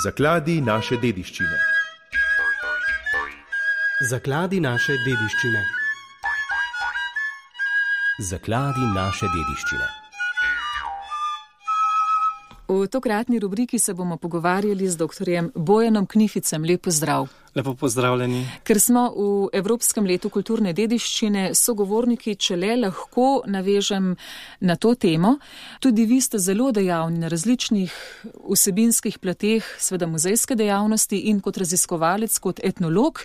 Zakladi naše dediščine. Zakladi naše dediščine. Zakladi naše dediščine. V tokratni rubriki se bomo pogovarjali z dr. Bojanom Knificem. Lep pozdrav. Lepo pozdravljeni. Ker smo v Evropskem letu kulturne dediščine, sogovorniki, če le lahko navežem na to temo. Tudi vi ste zelo dejavni na različnih vsebinskih plateh, seveda muzejske dejavnosti in kot raziskovalec, kot etnolog.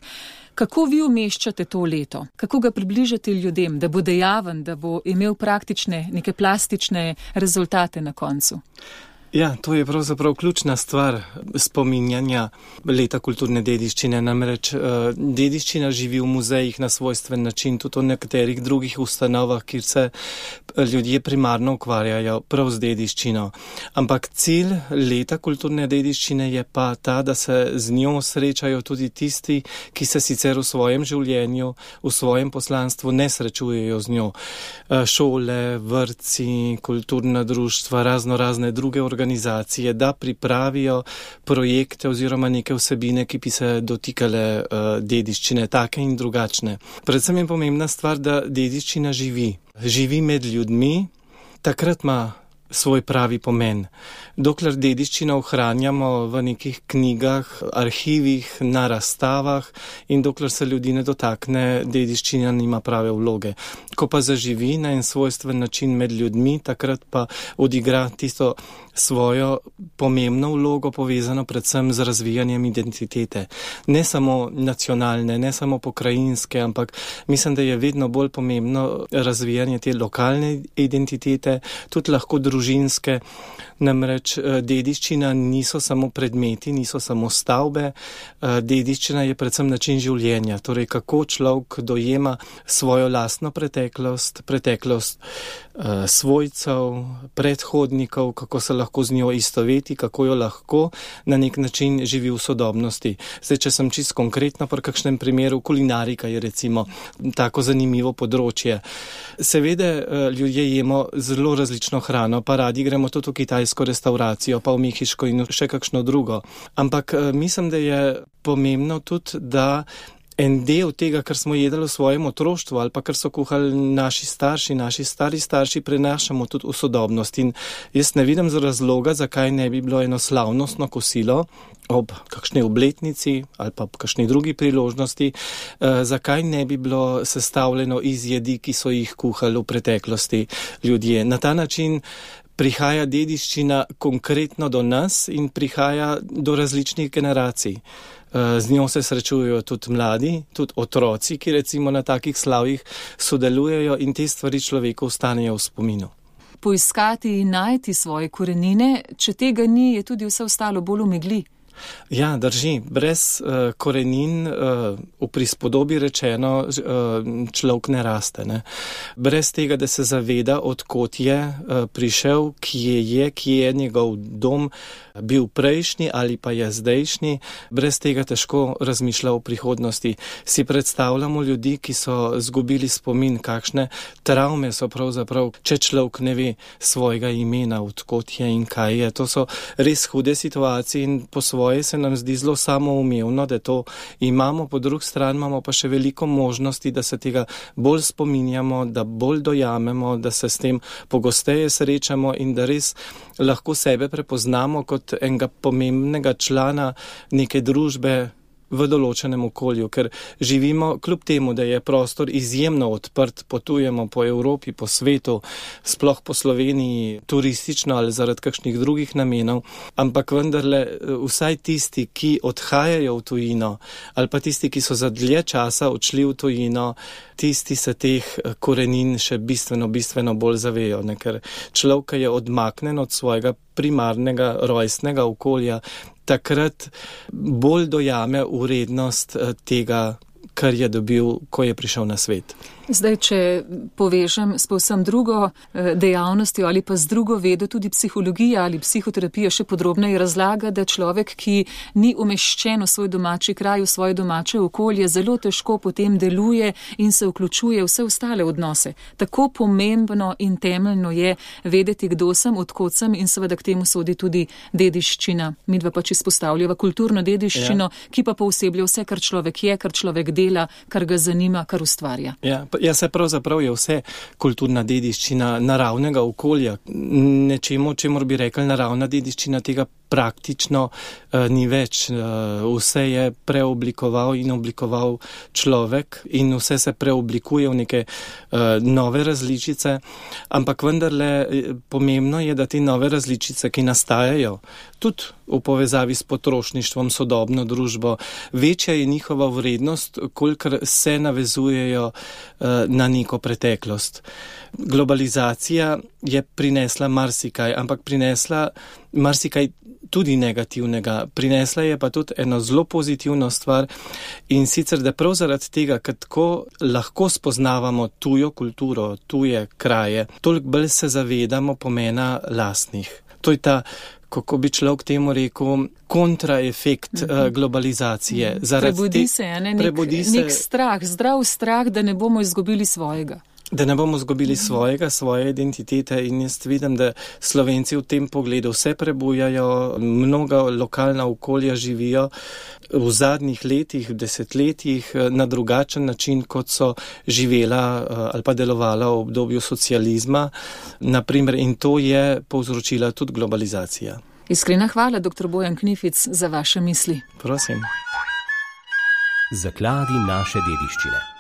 Kako vi umeščate to leto? Kako ga približate ljudem, da bo dejaven, da bo imel praktične, neke plastične rezultate na koncu? Ja, to je pravzaprav ključna stvar spominjanja leta kulturne dediščine. Namreč dediščina živi v muzejih na svojstven način, tudi v nekaterih drugih ustanovah, kjer se ljudje primarno ukvarjajo prav z dediščino. Ampak cilj leta kulturne dediščine je pa ta, da se z njo srečajo tudi tisti, ki se sicer v svojem življenju, v svojem poslanstvu ne srečujejo z njo. Šole, vrtci, kulturna društva, razne druge organizacije, da pripravijo projekte oziroma neke vsebine, ki bi se dotikale dediščine, take in drugačne. Predvsem je pomembna stvar, da dediščina živi. Živi med ljudmi, takrat ima svoj pravi pomen. Dokler dediščino ohranjamo v nekih knjigah, arhivih, na razstavah in dokler se ljudi ne dotakne, dediščina nima prave vloge. Ko pa zaživi na en svojstven način med ljudmi, takrat pa odigra tisto svojo pomembno vlogo, povezano predvsem z razvijanjem identitete. Ne samo nacionalne, ne samo pokrajinske, ampak mislim, da je vedno bolj pomembno razvijanje te lokalne identitete, tudi lahko družinske. Namreč dediščina niso samo predmeti, niso samo stavbe, dediščina je predvsem način življenja, torej kako človek dojema svojo lastno preteklost svojcev, predhodnikov, kako se lahko z njo istoveti, kako jo lahko na nek način živi v sodobnosti. Zdaj, če sem čisto konkretno pri kakšnem primeru, kulinarika je recimo tako zanimivo področje. Seveda ljudje jemo zelo različno hrano, pa radi gremo tudi v kitajsko restauracijo, pa v mehiško in še kakšno drugo. Ampak mislim, da je pomembno tudi, da en del tega, kar smo jedli v svojem otroštvu ali pa kar so kuhali naši stari starši, prenašamo tudi v sodobnost. In jaz ne vidim razloga, zakaj ne bi bilo eno slavnostno kosilo ob kakšni obletnici ali pa kakšni drugi priložnosti, zakaj ne bi bilo sestavljeno iz jedi, ki so jih kuhali v preteklosti ljudje. Na ta način prihaja dediščina konkretno do nas in prihaja do različnih generacij. Z njo se srečujejo tudi mladi, tudi otroci, ki recimo na takih slavjih sodelujejo in te stvari človeku ostanejo v spominu. Poiskati in najti svoje korenine, če tega ni, je tudi vse ostalo bolj v megli. Ja, drži. Brez korenin, v prispodobi rečeno, človek ne raste. Ne? Brez tega, da se zaveda, odkot je prišel, kje je njegov dom, bil prejšnji ali pa je zdajšnji, brez tega težko razmišlja o prihodnosti. Si predstavljamo ljudi, ki so zgubili spomin, kakšne travme so pravzaprav, če človek ne ve svojega imena, odkot je in kaj je. To so res hude situacije in po svoje se nam zdi zelo samoumevno, da to imamo, po drugi strani imamo pa še veliko možnosti, da se tega bolj spominjamo, da bolj dojamemo, da se s tem pogosteje srečamo in da res lahko sebe prepoznamo kot enega pomembnega člana neke družbe v določenem okolju, ker živimo, kljub temu, da je prostor izjemno odprt, potujemo po Evropi, po svetu, sploh po Sloveniji, turistično ali zaradi kakšnih drugih namenov, ampak vendarle vsaj tisti, ki odhajajo v tujino, ali pa tisti, ki so za dlje časa odšli v tujino, tisti se teh korenin še bistveno bolj zavejo, ne? Ker človek je odmaknen od svojega primarnega rojstnega okolja, takrat bolj dojame vrednost tega, kar je dobil, ko je prišel na svet. Zdaj, če povežem s povsem drugo dejavnostjo ali pa z drugo vedo, tudi psihologija ali psihoterapija še podrobneje razlaga, da človek, ki ni umeščen v svoj domači kraj, v svoje domače okolje, zelo težko potem deluje in se vključuje v vse ostale odnose. Tako pomembno in temeljno je vedeti, kdo sem, odkot sem in seveda k temu sodi tudi dediščina. Midva pač izpostavljava kulturno dediščino, ki pa pooseblja vse, kar človek je, kar človek dela, kar ga zanima, kar ustvarja. Ja, se pravzaprav je vse kulturna dediščina naravnega okolja. Nečemu, čemur bi rekli naravna dediščina, tega praktično ni več. Vse je preoblikoval in oblikoval človek in vse se preoblikuje v neke nove različice, ampak vendarle pomembno je, da te nove različice, ki nastajajo, tudi v povezavi s potrošništvom, sodobno družbo, večja je njihova vrednost, kolikor se navezujejo na neko preteklost. Globalizacija je prinesla marsikaj, ampak prinesla marsikaj tudi negativnega. Prinesla je pa tudi eno zelo pozitivno stvar in sicer, da prav zaradi tega, ker tako lahko spoznavamo tujo kulturo, tuje kraje, toliko bolj se zavedamo pomena lastnih. To je ta, kako bi človek temu rekel, kontraefekt globalizacije. Prebudi se, nek strah, zdrav strah, da ne bomo izgubili svojega. Da ne bomo izgubili svoje identitete in jaz vidim, da Slovenci v tem pogledu vse prebujajo, mnoga lokalna okolja živijo v zadnjih letih, desetletjih na drugačen način, kot so živela ali pa delovala v obdobju socializma, naprimer, in to je povzročila tudi globalizacija. Iskrena hvala, dr. Bojan Knific, za vaše misli. Prosim. Zakladi naše dediščine.